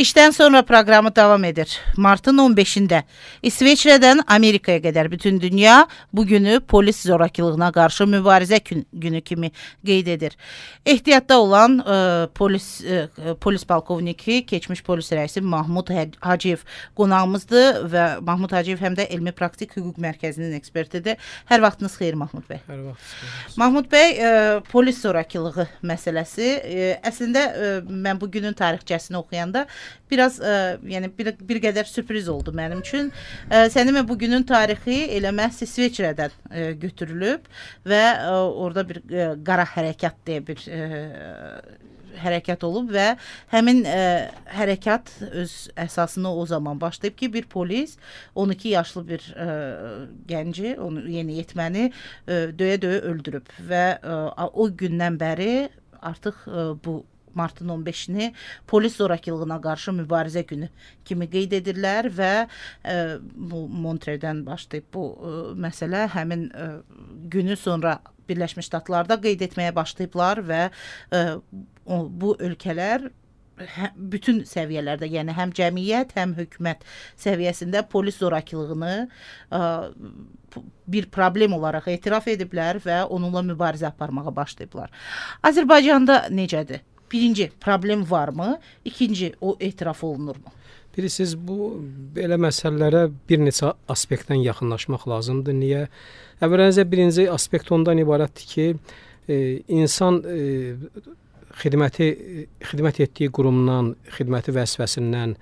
İşten sonra programı devam edir. Martın 15'inde İsveçrədən Amerikaya qədər bütün dünya bu günü polis zorakılığına qarşı mübarizə günü kimi qeyd edir. Ehtiyatda olan polis polkovniki, keçmiş polis rəisi Mahmud Hacıyev qonağımızdır və Mahmud Hacıyev həm də Elmi Praktik Hüquq Mərkəzinin ekspertidir. Hər vaxtınız xeyir Mahmud bəy. Hər vaxt. Mahmud bəy, polis zorakılığı məsələsi əslində mən bu günün tarixçəsini oxuyanda biraz yəni bir qədər sürpriz oldu mənim üçün. Sənin bugünün tarixi elə məhz İsveçrədən götürülüb və orada bir qara hərəkat deyə bir hərəkat olub və həmin hərəkat öz əsasını o zaman başlayıb ki, bir polis 12 yaşlı bir gənci, onu yeniyetməni döyə-döyə öldürüb və o gündən bəri artıq bu Martın 15-ni polis zorakılığına qarşı mübarizə günü kimi qeyd edirlər və bu Montreal'dən başlayıb bu məsələ həmin günü sonra Birləşmiş Ştatlarda qeyd etməyə başlayıblar və bu ölkələr bütün səviyyələrdə, yəni həm cəmiyyət, həm hökumət səviyyəsində polis zorakılığını bir problem olaraq etiraf ediblər və onunla mübarizə aparmağa başlayıblar. Azərbaycanda necədir? Birinci, problem varmı? İkinci, o etiraf olunurmu? Bilirsiniz, bu belə məsələlərə bir neçə aspektdən yaxınlaşmaq lazımdır. Niyə? Əvvəlcə birinci aspekt ondan ibarətdir ki, insan xidmət etdiyi qurumdan, xidməti vəzifəsindən,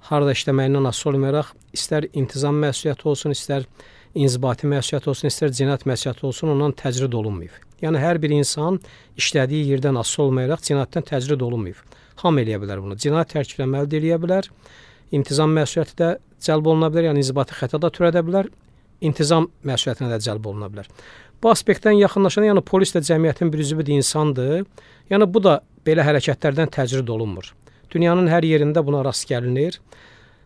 harada işləməyindən asılı olmayaraq, istər intizam məsuliyyəti olsun, istər inzibati məsuliyyəti olsun, istər cinayət məsuliyyəti olsun, ondan təcrid olunmayıb. Yəni, hər bir insan işlədiyi yerdən asılı olmayaraq cinayətdən təcrid olunmayıb. Hamı eləyə bilər bunu. Cinayət tərkibləmə əldə eləyə bilər, intizam məsuliyyəti də cəlb oluna bilər, yəni inzibati xəta da törədə bilər, intizam məsuliyyətinə də cəlb oluna bilər. Bu aspektdən yaxınlaşan, yəni polis də cəmiyyətin bir üzvü insandır. Yəni, bu da belə hərəkətlərdən təcrid olunmur. Dünyanın hər yerində buna rast gəlinir.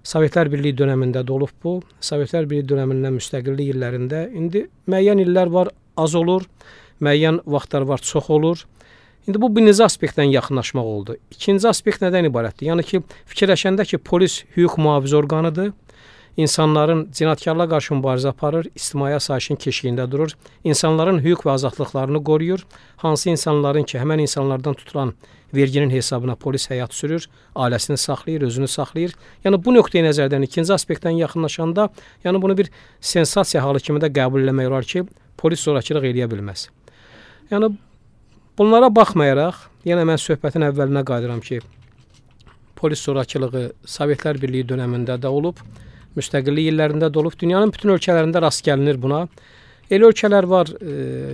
Sovetlər Birliyi dönəmində də olub bu. Sovetlər Birliyi dönəmindən müstəqillik illərində. İndi müəyyən illər var, az olur. Müəyyən vaxtlar var, çox olur. İndi bu birinci aspektdən yaxınlaşmaq oldu. İkinci aspekt nədən ibarətdir? Yəni ki, fikirləşəndə ki, polis hüquq mühafizə orqanıdır. İnsanların cinayətkarlara qarşı mübarizə aparır, ictimai asayişin keşiyində durur, insanların hüquq və azadlıqlarını qoruyur. Hansı insanların ki, həmən insanlardan tutulan verginin hesabına polis həyat sürür, ailəsini saxlayır, özünü saxlayır. Yəni bu nöqteyi nəzərdən ikinci aspektdən yaxınlaşanda, yəni bunu bir sensasiya halı kimi də qəbul eləmək olar ki, polis zorakılıq eləyə bilməz. Yəni bunlara baxmayaraq, yenə mən söhbətin əvvəlinə qayıdıram ki, polis zorakılığı Sovetlər Birliyi dönəmində də olub, müstəqillik illərində də olub, dünyanın bütün ölkələrində rast gəlinir buna. Elə ölkələr var,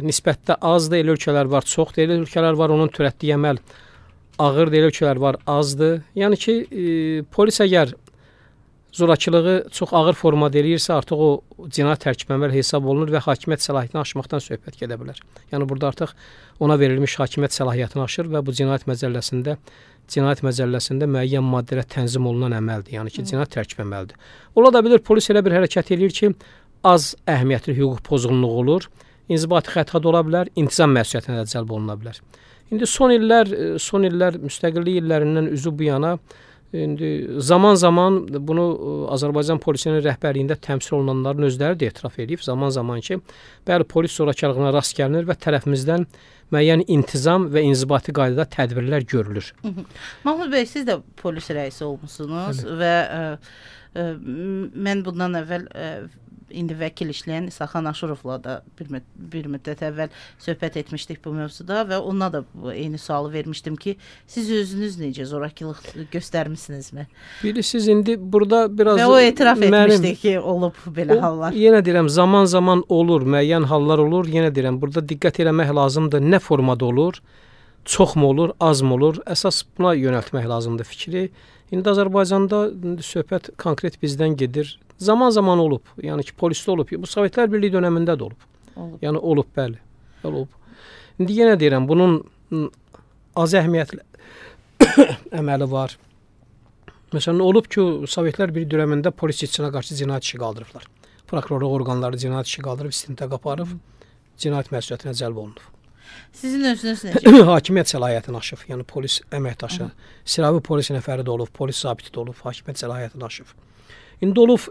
nisbətdə azdır, elə ölkələr var, çoxdur, elə ölkələr var, onun törətdiyi əməl ağırdır, elə ölkələr var, azdır. Yəni ki, polis əgər zorakılığı çox ağır formada eləyirsə, artıq o cinayət tərkib əməl hesab olunur və hakimiyyət səlahiyyətini aşmaqdan söhbət gedə bilər. Yəni burada artıq ona verilmiş hakimiyyət səlahiyyətini aşır və bu cinayət məcəlləsində müəyyən maddələrə tənzim olunan əməldir. Yəni ki, cinayət tərkib əməldir. Ola da bilir, polis elə bir hərəkət eləyir ki, az əhəmiyyətli hüquq pozğunluğu olur, inzibati xəta da ola bilər, intizam məsuliyyətinə də cəlb oluna bilər. İndi son illər müstəqillik illərindən üzü bu yana zaman-zaman bunu Azərbaycan polisinin rəhbərliyində təmsil olunanların özləri də etiraf edib, zaman-zaman ki, bəli, polis zorakılığına rast gəlinir və tərəfimizdən müəyyən intizam və inzibati qaydada tədbirlər görülür. Mahmud bəy, siz də polis rəisi olmuşsunuz və mən bundan əvvəl indi vəkil işləyən İsaxan Aşurovla da bir müddət əvvəl söhbət etmişdik bu mövzuda və ona da eyni sualı vermişdim ki, siz özünüz necə zorakılıq göstərmisinizmi? Bilirsiniz, indi burada biraz... Və o etiraf etmişdi ki, olub belə hallar. Yenə deyirəm, zaman-zaman olur, müəyyən hallar olur. Yenə deyirəm, burada diqqət eləmək lazımdır. Nə formada olur? Çox mu olur, az mı olur? Əsas buna yönəltmək lazımdır fikri. İndi Azərbaycanda söhbət konkret bizdən gedir. Zaman-zaman olub. Yəni ki, polisdə olub. Bu Sovetlər Birliyi dönəmində də olub. Yəni olub, bəli. Olub. İndi yenə deyirəm, bunun az əhəmiyyətli əməli var. Məsələn, olub ki, Sovetlər Birliyi dönəmində polis işçisinə qarşı cinayət işi qaldırıblar. Prokurorluq orqanları cinayət işi qaldırıb, istintaq aparıb, cinayət məsuliyyətinə cəlb olunub. Sizin özünüz necə? Hakimiyyət səlahiyyətini aşıb. Yəni polis əməkdaşı, silahlı polis nəfəri də olub, polis zabiti də olub, hakimiyyət səlahiyyətini aşıb. İndi olub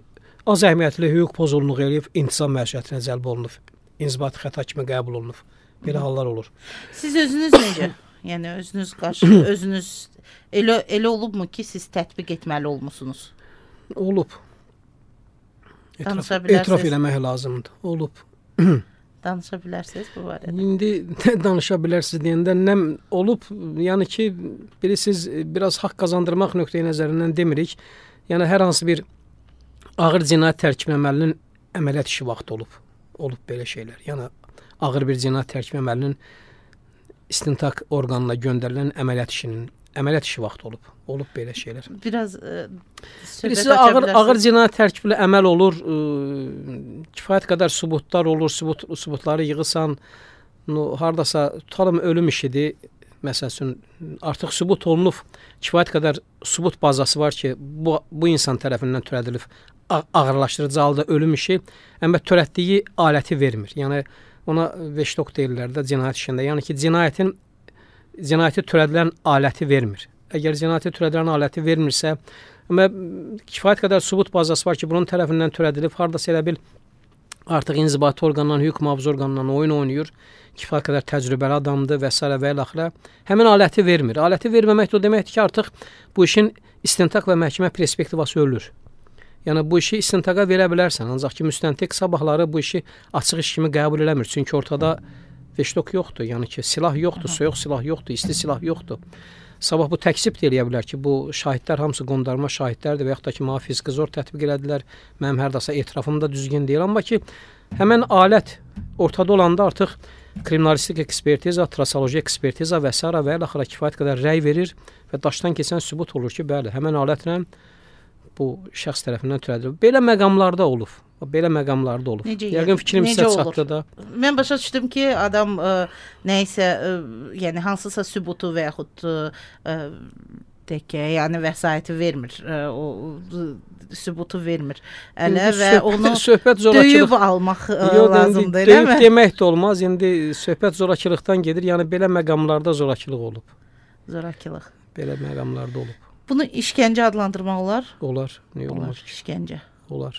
az əhəmiyyətli hüquq pozğunluğu eləyib, intizam məsuliyyətinə cəlb olunub, inzibati xəta kimi qəbul olunub. Belə hallar olur. Siz özünüz necə? Yəni özünüz qarşı, özünüz elə olubmu ki, siz tətbiq etməli olmusunuz? Olub. Danışa bilərsiniz. Etiraf eləmək lazımdır. Olub. Danışa bilərsiniz bu barədə? İndi danışa bilərsiniz deyəndə nə olub? Yəni ki, bilirsiniz, biraz haqq qazandırmaq nöqteyi nəzərindən demirik. Yəni hər hansı bir ağır cinayət tərkib əməlinin əməliyyat işi vaxtı olub. Olub belə şeylər. Yəni ağır bir cinayət tərkib əməlinin istintaq orqanına göndərilən əməliyyat işi vaxtı olub. Olub belə şeylər. Biraz birisi ağır cinayət tərkibli əməl olur, kifayət qədər sübutlar olur, sübutları yığırsan, hardasa tutalım ölüm işidir, məsəl üçün artıq sübut olunub, kifayət qədər sübut bazası var ki, bu insan tərəfindən törədilib, ağırlaşdırıcı halda ölüm işi, amma törətdiyi aləti vermir. Yəni ona veştok deyirlər də cinayət işində. Yəni ki, cinayəti törədilən aləti vermir. Əgər cinayəti törədilən aləti vermirsə, amma kifayət qədər sübut bazası var ki, bunun tərəfindən törədilib, hardasa elə bil artıq inzibati orqandan, hüquq mühafizə orqandan oyun oynayır, kifayət qədər təcrübəli adamdır və s. və ilaxirə. Həmin aləti vermir. Aləti verməmək də o deməkdir ki, artıq bu işin istintaq və məhkəmə perspektivası ölür. Yəni bu işi istintaqa verə bilərsən, ancaq ki, müstəntiq sabahları bu işi açıq iş kimi qəbul eləmir. Çünki ortada veştok yoxdur, yəni ki, silah yoxdur, soyuq silah yoxdur, isti silah yoxdur. Sabah bu təkzib də eləyə bilər ki, bu şahidlər hamısı qondarma şahidlərdir və yaxud da ki, mənə fiziki zor tətbiq elədilər, mənim hərdasa etirafım da düzgün deyil. Amma ki, həmən alət ortada olanda artıq kriminalistik ekspertiza, trasoloji ekspertiza və s. və ilaxıra kifayət qədər rəy verir və daşdan keçən sübut olur ki, bəli, həmən alətlə bu şəxs tərəfindən törədilib. Belə məqamlarda olub. Belə məqamlarda olub. Yəqin fikrim sizə çatdı da. Mən başa düşdüm ki, adam nəyisə, yəni hansısa sübutu və yaxud yəni vəsaiti vermir. O sübutu vermir. Ələ və onu döyüb almaq lazımdır, elə mi? Döyüb demək də olmaz. İndi söhbət zorakılıqdan gedir. Yəni belə məqamlarda zorakılıq olub. Zorakılıq. Belə məqamlarda olub. Bunu işgəncə adlandırmaq olar? Olar. Niyə olmaz? İşgəncə. Olar.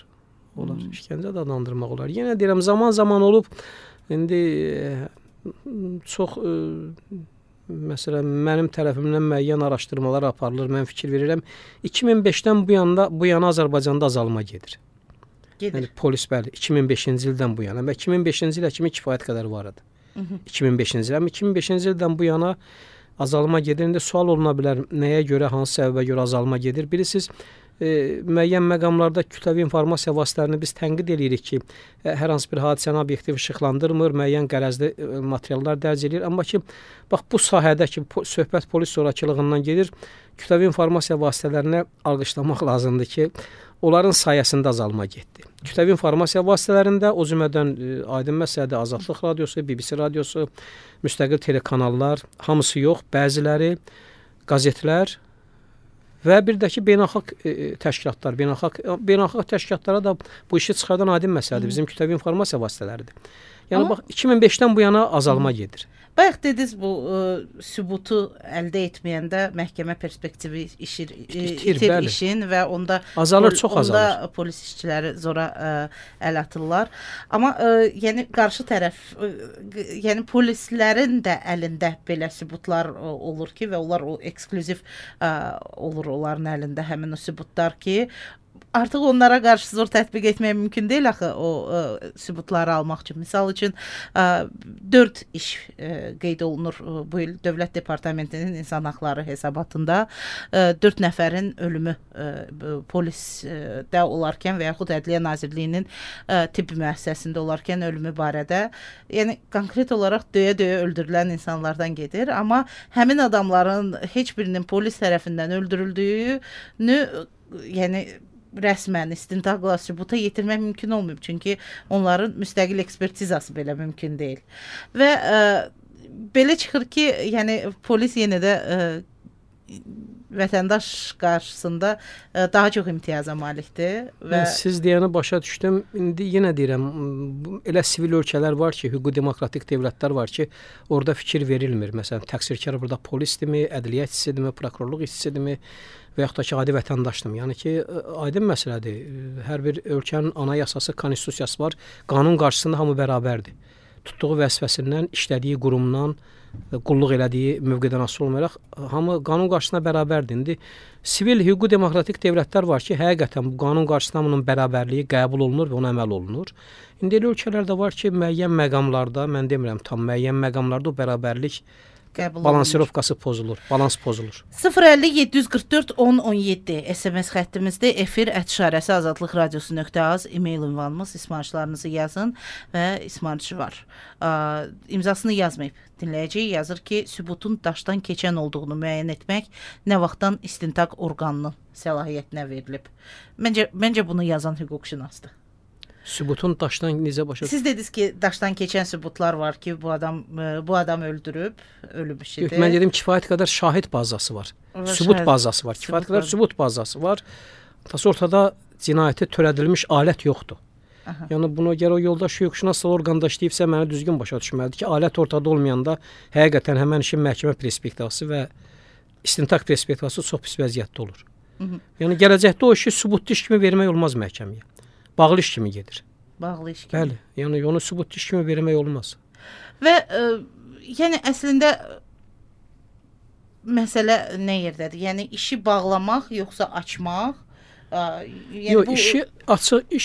İşgəncə də adlandırmaq olar. Yenə deyirəm, zaman olub. İndi çox məsələn mənim tərəfimdən müəyyən araşdırmalar aparılır. Mən fikir verirəm. 2005-dən bu yana Azərbaycanda azalma gedir. Yəni polis bəli 2005-ci ildən bu yana. Və 2005-ci ilə kimi kifayət qədər var idi. 2005-ci il. Amma 2005-ci ildən bu yana azalma gedir. İndi sual oluna bilər, nəyə görə, hansı səbəbə görə azalma gedir? Bilirsiniz, müəyyən məqamlarda kütləvi informasiya vasitələrini biz tənqid edirik ki, hər hansı bir hadisəni obyektiv işıqlandırmır, müəyyən qərəzli materiallar dərc edir. Amma ki, bax bu sahədə ki, söhbət polis zorakılığından gedir, kütləvi informasiya vasitələrini alqışlamaq lazımdır ki, onların sayəsində azalma getdi. Kütləvi informasiya vasitələrində o cümlədən aydın məsələdir, Azadlıq radiosu, BBC radiosu, müstəqil telekanallar, hamısı yox, bəziləri, qəzetlər və bir də ki, beynəlxalq təşkilatlar, beynəlxalq təşkilatlara da bu işi çıxardan aydın məsələdir, bizim kütləvi informasiya vasitələridir. Yəni bax 2005-dən bu yana azalma gedir. Bayaq dediniz bu sübutu əldə etməyəndə məhkəmə perspektivi itir işin və onda azalır, çox azalır. Onda polis işçiləri zora əl atırlar. Amma yəni qarşı tərəf, yəni polislərin də əlində belə sübutlar olur ki və onlar o eksklüziv olur onların əlində həmin o sübutlar ki, artıq onlara qarşı zor tətbiq etmək mümkün deyil axı o sübutları almaq üçün. Misal üçün 4 iş qeyd olunur bu il Dövlət Departamentinin İnsan Haqları hesabatında 4 nəfərin ölümü polisdə olarkən və yaxud Ədliyyə Nazirliyinin tibbi müəssisəsində olarkən ölümü barədə, yəni konkret olaraq döyə-döyə öldürülən insanlardan gedir. Amma həmin adamların heç birinin polis tərəfindən öldürüldüyünü, yəni rəsmən istintaqla sübuta yetirmək mümkün olmayıb. Çünki onların müstəqil ekspertizası belə mümkün deyil. Və belə çıxır ki, yəni polis yenə də vətəndaş qarşısında daha çox imtiyaza malikdir və siz deyəni başa düşdüm. İndi yenə deyirəm, elə sivil ölkələr var ki, hüquqi demokratik dövlətlər var ki, orada fikir verilmir. Məsələn, təqsirkar burada polisdirmi, ədliyyə işçisidirmi, prokurorluq işçisidirmi və yaxud da ki, adi vətəndaşdırmı? Yəni ki, aydın məsələdir. Hər bir ölkənin anayasası, konstitusiyası var. Qanun qarşısında hamı bərabərdir. Tutduğu vəzifəsindən, işlədiyi qurumdan, qulluq elədiyi mövqedən asılı olmayaraq hamı qanun qarşısında bərabərdir. İndi sivil hüquqi demokratik dövlətlər var ki, həqiqətən bu qanun qarşısında bunun bərabərliyi qəbul olunur və ona əməl olunur. İndi elə ölkələrdə var ki, müəyyən məqamlarda, mən demirəm tam müəyyən məqamlarda o bərabərlik balansirovkası pozulur, balans pozulur. 050 744 1017 SMS xəttimizdə efir @azadlıq radiosu.az e-mail ünvanımız, ismarışlarınızı yazın və ismarışı var. İmzasını yazmayıb dinləyəcək, yazır ki, sübutun daşdan keçən olduğunu müəyyən etmək nə vaxtdan istintaq orqanının səlahiyyətinə verilib. Məncə bunu yazan hüquqşünasdır. Sübutun daşdan necə başa? Siz dediniz ki, daşdan keçən sübutlar var ki, bu adam öldürüb, ölüb işidir. Yox, mən dedim kifayət qədər şahid bazası var. Sübut bazası var. Kifayət qədər sübut bazası var. Təs ortada cinayəti törədilmiş alət yoxdur. Aha. Yəni buna görə o yoldaş hüquqşünas orqanda işləyibsə mənə düzgün başa düşməlidir ki, alət ortada olmayanda həqiqətən həmin işin məhkəmə perspektivası və istintaq perspektivası çox pis vəziyyətdə olur. Yəni gələcəkdə o işi sübutlu iş kimi vermək olmaz məhkəməyə. Bağlı iş kimi gedir. Bağlı iş kimi. Bəli, yəni onu sübut iş kimi vermək olmaz. Və yəni əslində məsələ nə yerdədir? Yəni işi bağlamaq yoxsa açmaq? Yəni yox, işi açıq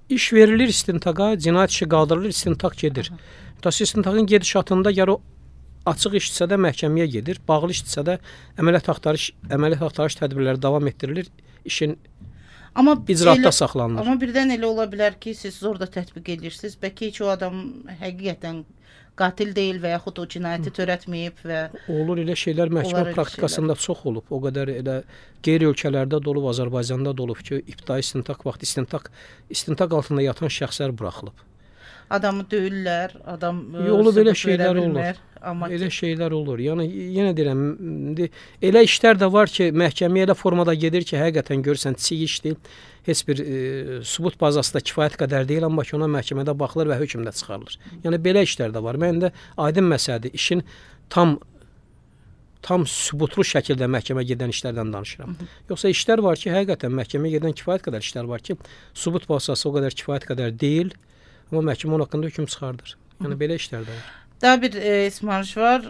iş verilir istintaqa, cinayət işi qaldırılır, istintaq gedir. Təs istintaqın gedişatında ya o açıq işdirsə də məhkəməyə gedir, bağlı işdirsə də əməliyyat axtarış tədbirləri davam etdirilir, işin icraatda saxlanılır. Amma birdən elə ola bilər ki, siz orada tətbiq edirsiniz, bəlkə heç o adam həqiqətən qatil deyil və yaxud o cinayəti törətməyib və olur elə şeylər məhkəmə praktikasında çox olub. O qədər elə qeyri-ölkələrdə də olub, Azərbaycanda da olub ki, ibtidai istintaq vaxtı istintaq altında yatan şəxslər buraxılıb. Adamı döyürlər, adam olub elə şeylər olur. Amma elə şeylər olur. Yəni yenə deyirəm, elə işlər də var ki, məhkəməyə elə formada gedir ki, həqiqətən görürsən çiğ işdir. Heç bir sübut bazası da kifayət qədər deyil, amma ki, ona məhkəmədə baxılır və hökm də çıxarılır. Yəni belə işlər də var. Mən də aydın məsələdir, işin tam sübutlu şəkildə məhkəmə gedən işlərdən danışıram. Yoxsa işlər var ki, həqiqətən məhkəməyə gedən kifayət qədər işlər var ki, sübut bazası o qədər kifayət qədər deyil, amma məhkəmə onun haqqında hökm çıxardır. Yəni belə işlər də var. Daha bir ismarış var.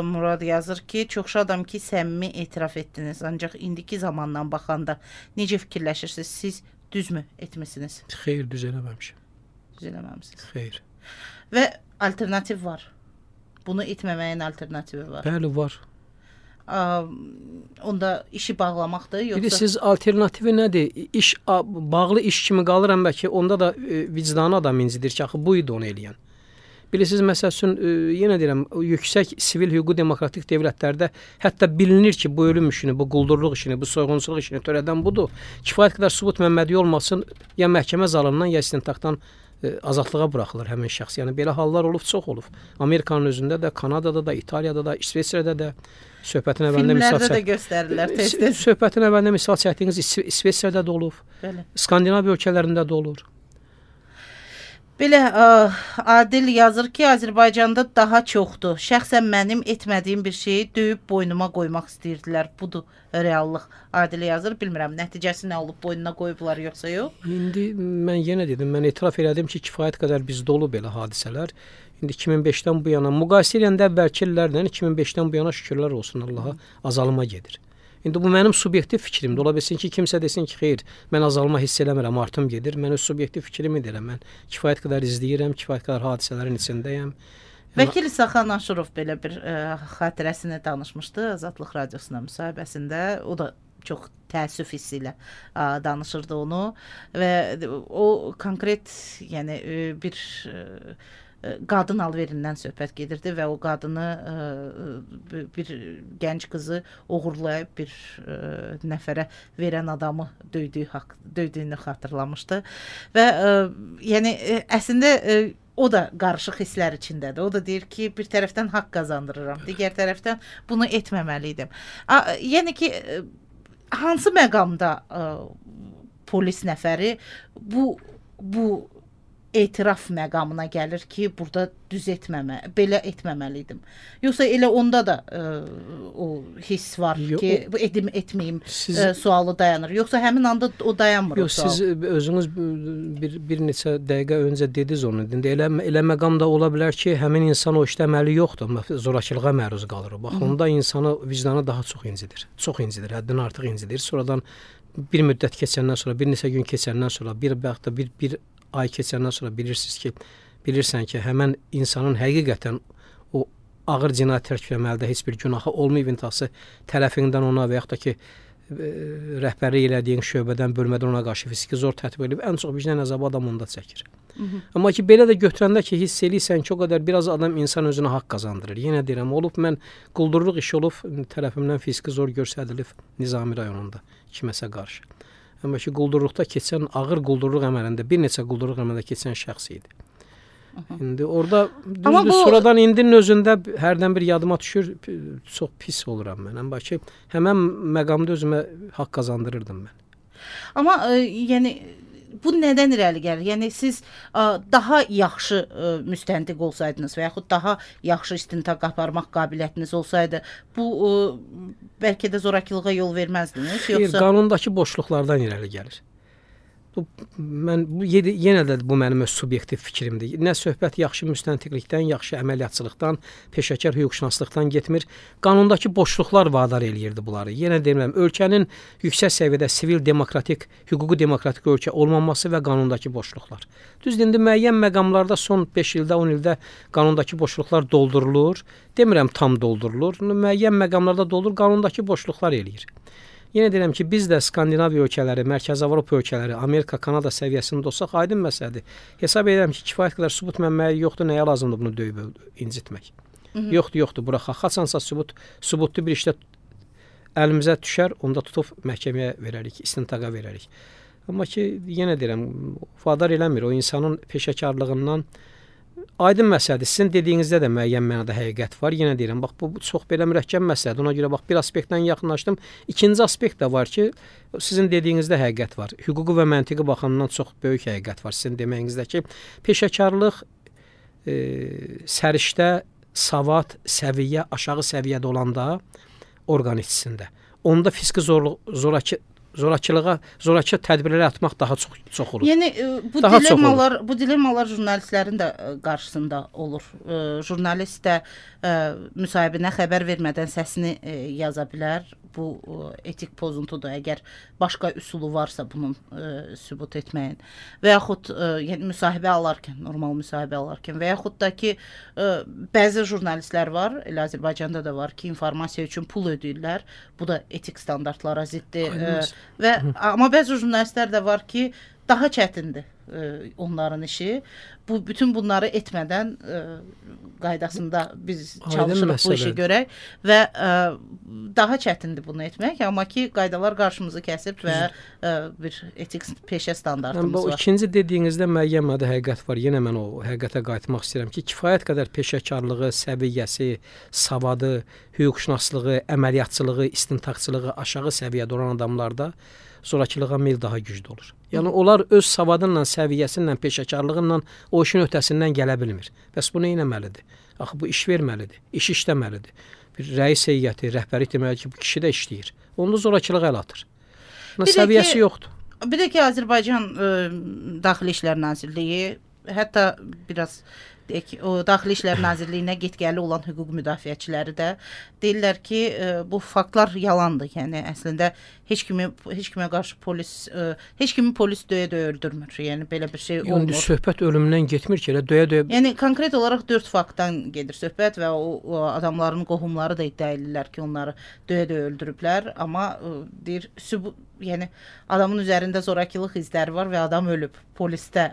Murad yazır ki, çox şadam ki, səmimi etiraf etdiniz. Ancaq indiki zamandan baxanda necə fikirləşirsiniz? Siz düzmü etmisiniz? Xeyr, düz eləməmişəm. Düz eləməmisiniz. Xeyr. Və alternativ var. Bunu etməməyin alternativi var. Bəli, var. Onda işi bağlamaqdır, yoxsa? Bilirsiniz, alternativi nədir? Bağlı iş kimi qalır, bəlkə onda da vicdanı adam incidir ki, axı bu idi onu eləyən. Bilirsiniz, məsəl üçün, yenə deyirəm, yüksək sivil hüquqi demokratik dövlətlərdə hətta bilinir ki, bu ölüm işini, bu quldurluq işini, bu soyğunçuluq işini törədən budur. Kifayət qədər sübut mənbədi olmasın, ya məhkəmə zalından, ya istintaqdan azadlığa buraxılır həmin şəxs. Yəni belə hallar olub, çox olub. Amerikanın özündə də, Kanadada da, İtaliyada da, İsveçrədə də söhbətin əvvəlində filmlərdə də göstərirlər tez-tez. Söhbətin əvvəlində misal çəkdiyiniz İsveçrədə də olub. Bəli. Skandinaviya ölkələrində də olur. Belə Adil yazır ki, Azərbaycanda daha çoxdur. Şəxsən mənim etmədiyim bir şeyi döyüb boynuma qoymaq istəyirdilər. Budur reallıq. Adil yazır. Bilmirəm, nəticəsi nə olub, boynuna qoyublar yoxsa yox? İndi mən yenə dedim, mən etiraf elədim ki, kifayət qədər bizdə olub belə hadisələr. İndi 2005-dən bu yana, müqayisə edəndə əvvəlki illərlə 2005-dən bu yana şükürlər olsun Allaha, azalma gedir. İndi bu mənim subyektiv fikrimdir. Ola bilsin ki, kimsə desin ki, xeyr, mən azalma hiss eləmirəm, artım gedir. Mən öz subyektiv fikrimi deyirəm. Mən kifayət qədər izləyirəm, kifayət qədər hadisələrin içindəyəm. Vəkil İsaxan Aşurov belə bir xatirəsini danışmışdı Azadlıq radiosuna müsahibəsində. O da çox təəssüf hissi ilə danışırdı onu və o konkret, yəni bir qadın alverindən söhbət gedirdi və o qadını bir gənc qızı oğurlayıb bir nəfərə verən adamı döydüyünü xatırlamışdı və yəni əslində o da qarışıq hisslər içindədir. O da deyir ki, bir tərəfdən haqq qazandırıram, digər tərəfdən bunu etməməliydim. Yəni ki, hansı məqamda polis nəfəri bu etiraf məqamına gəlir ki, burada belə etməməli idim. Yoxsa elə onda da o hiss var ki, bu etməyim sualı dayanır. Yoxsa həmin anda o dayanmır. Yox, siz özünüz bir neçə dəqiqə öncə dediniz onu. Elə məqam da ola bilər ki, həmin insan o işdə əməli yoxdur, zorakılığa məruz qalır. Bax, onda insanı vicdanı daha çox incidir. Çox incidir, həddən artıq incidir. Sonradan bir müddət keçəndən sonra, bir neçə gün keçəndən sonra, bir ay keçəndən sonra bilirsən ki, həmən insanın həqiqətən o ağır cinayət tərkibləməlidə heç bir günahı olmayıb, intihası tərəfindən ona və yaxud da ki, rəhbərlik elədiyin şöbədən, bölmədən ona qarşı fiziki zor tətbiq edib, ən çox vicdan əzabı adam onda çəkir. Amma ki, belə də götürəndə ki, hiss eləyirsən ki, o qədər biraz adam insan özünə haqq qazandırır. Yenə deyirəm, mən quldurluq işi olub, tərəfimdən fiziki zor göstərilib Nizami rayonunda kiməsə qarşı. Amma ki, quldurluqda keçən, ağır quldurluq əməlində, bir neçə quldurluq əməlində keçən şəxs idi. İndi orada düzdür, sonradan indinin özündə hərdən bir yadıma düşür, çox pis oluram mən. Amma ki, həmən məqamda özümə haqq qazandırırdım mən. Amma yəni bu nədən irəli gəlir? Yəni siz daha yaxşı müstəntiq olsaydınız və yaxud daha yaxşı istintaq aparmaq qabiliyyətiniz olsaydı, bu bəlkə də zorakılığa yol verməzdiniz? Yoxsa qanundakı boşluqlardan irəli gəlir. Yenə də bu mənim öz subyektiv fikrimdir. Nə söhbət yaxşı müstəntiqlikdən, yaxşı əməliyyatçılıqdan, peşəkar hüquqşünaslıqdan getmir. Qanundakı boşluqlar vadar eləyirdi bunları. Yenə deyirəm, ölkənin yüksək səviyyədə sivil demokratik, hüquqi demokratik ölkə olmaması və qanundakı boşluqlar. Düzdür, indi müəyyən məqamlarda son 5 ildə, 10 ildə qanundakı boşluqlar doldurulur. Demirəm tam doldurulur. Müəyyən məqamlarda doldurulur, qanundakı boşluqlar eləyir. Yenə deyirəm ki, biz də Skandinaviya ölkələri, Mərkəzi Avropa ölkələri, Amerika, Kanada səviyyəsində olsaq aydın məsələdir. Hesab edirəm ki, kifayət qədər sübut mənbəyi yoxdur, nəyə lazımdır bunu döyüb incitmək? Yoxdur, buraxaq. Haçansa sübutlu bir işdə əlimizə düşər, onda tutub məhkəməyə verərik, istintaqa verərik. Amma ki, yenə deyirəm, vadar eləmir, o insanın peşəkarlığından aydın məsələdir. Sizin dediyinizdə də müəyyən mənada həqiqət var. Yenə deyirəm, bax bu çox belə mürəkkəb məsələdir. Ona görə bax bir aspektdən yaxınlaşdım. İkinci aspekt də var ki, sizin dediyinizdə həqiqət var. Hüquqi və məntiqi baxımından çox böyük həqiqət var. Sizin deməyinizdə ki, peşəkarlıq səriştə, savad, səviyyə, aşağı səviyyədə olanda orqan içində. Onda fiziki zorakı tədbirləri atmaq daha çox olur. Yəni bu dilemmalar jurnalistlərin də qarşısında olur. Jurnalist də müsahibinə xəbər vermədən səsini yaza bilər. Bu etik pozuntudur. Əgər başqa üsulu varsa bunun sübut etməyin və yaxud yəni müsahibə alarkən, normal müsahibə alarkən və yaxud da ki bəzi jurnalistlər var, elə Azərbaycanda da var ki, informasiya üçün pul ödəyirlər. Bu da etik standartlara ziddir. Amma bəzi jurnalistlər də var ki, daha çətindir onların işi. Bütün bunları etmədən qaydasında biz çalışırıq bu işi görək və daha çətindir bunu etmək, amma ki qaydalar qarşımızı kəsib və bir etik peşə standartımız var. İkinci dediyinizdə müəyyən mədə həqiqət var. Yenə mən o həqiqətə qayıtmaq istəyirəm ki, kifayət qədər peşəkarlığı, səviyyəsi, savadı, hüquqşünaslığı, əməliyyatçılığı, istintaqçılığı aşağı səviyyədə olan adamlarda zorakılığa meyl daha güclü olur. Yəni onlar öz savadınla, səviyyəsindən, peşəkarlığından o işin ötəsindən gələ bilmir. Bəs bu nə etməlidir? Axı bu iş verməlidir, iş işləməlidir. Bir rəis heyəti, rəhbərlik deməli ki, bu kişi də işləyir. Onda zorakılığa əl atır. Səviyyəsi yoxdur. Bir də ki, Azərbaycan Daxili İşlər Nazirliyi, hətta biraz deyək, o Daxili İşlər Nazirliyinə get-gəli olan hüquq müdafiəçiləri də deyirlər ki, bu faktlar yalandır. Yəni əslində heç kimə qarşı heç kimi polis döyə-döyə öldürmür. Yəni belə bir şey olmur. Yəni söhbət ölümdən getmir ki, elə döyə-döyə. Yəni konkret olaraq 4 faktdan gedir söhbət və o adamların qohumları da iddia edirlər ki, onları döyə-döyə öldürüblər, amma deyir yəni adamın üzərində zorakılıq izləri var və adam ölüb, polisdə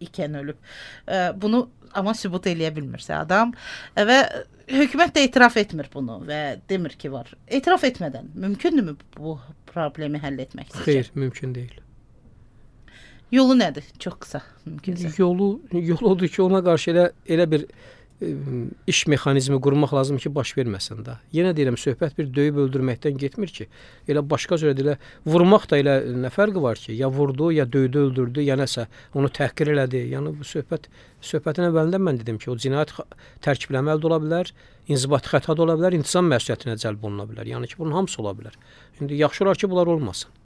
ikən ölüb. Bunu amma sübut eləyə bilmirsə adam və hökumət də etiraf etmir bunu və demir ki var. Etiraf etmədən mümkündürmü bu problemi həll etmək sizcə? Xeyr, mümkün deyil. Yolu nədir? Çox qısa mümkünsə. Yolu odur ki, ona qarşı elə bir iş mexanizmi qurmaq lazım ki, baş verməsin də. Yenə deyirəm, söhbət bir döyüb öldürməkdən getmir ki. Elə başqa cür elə vurmaq da elə nə fərqi var ki? Ya vurdu, ya döydü, öldürdü, ya nəsə onu təhqir elədi. Yəni bu söhbətin əvvəlində mən dedim ki, o cinayət tərkibləməli də ola bilər, inzibati xəta da ola bilər, intizam məsuliyyətinə cəlb oluna bilər. Yəni ki, bunun hamısı ola bilər. İndi yaxşı olar ki, bunlar olmasın.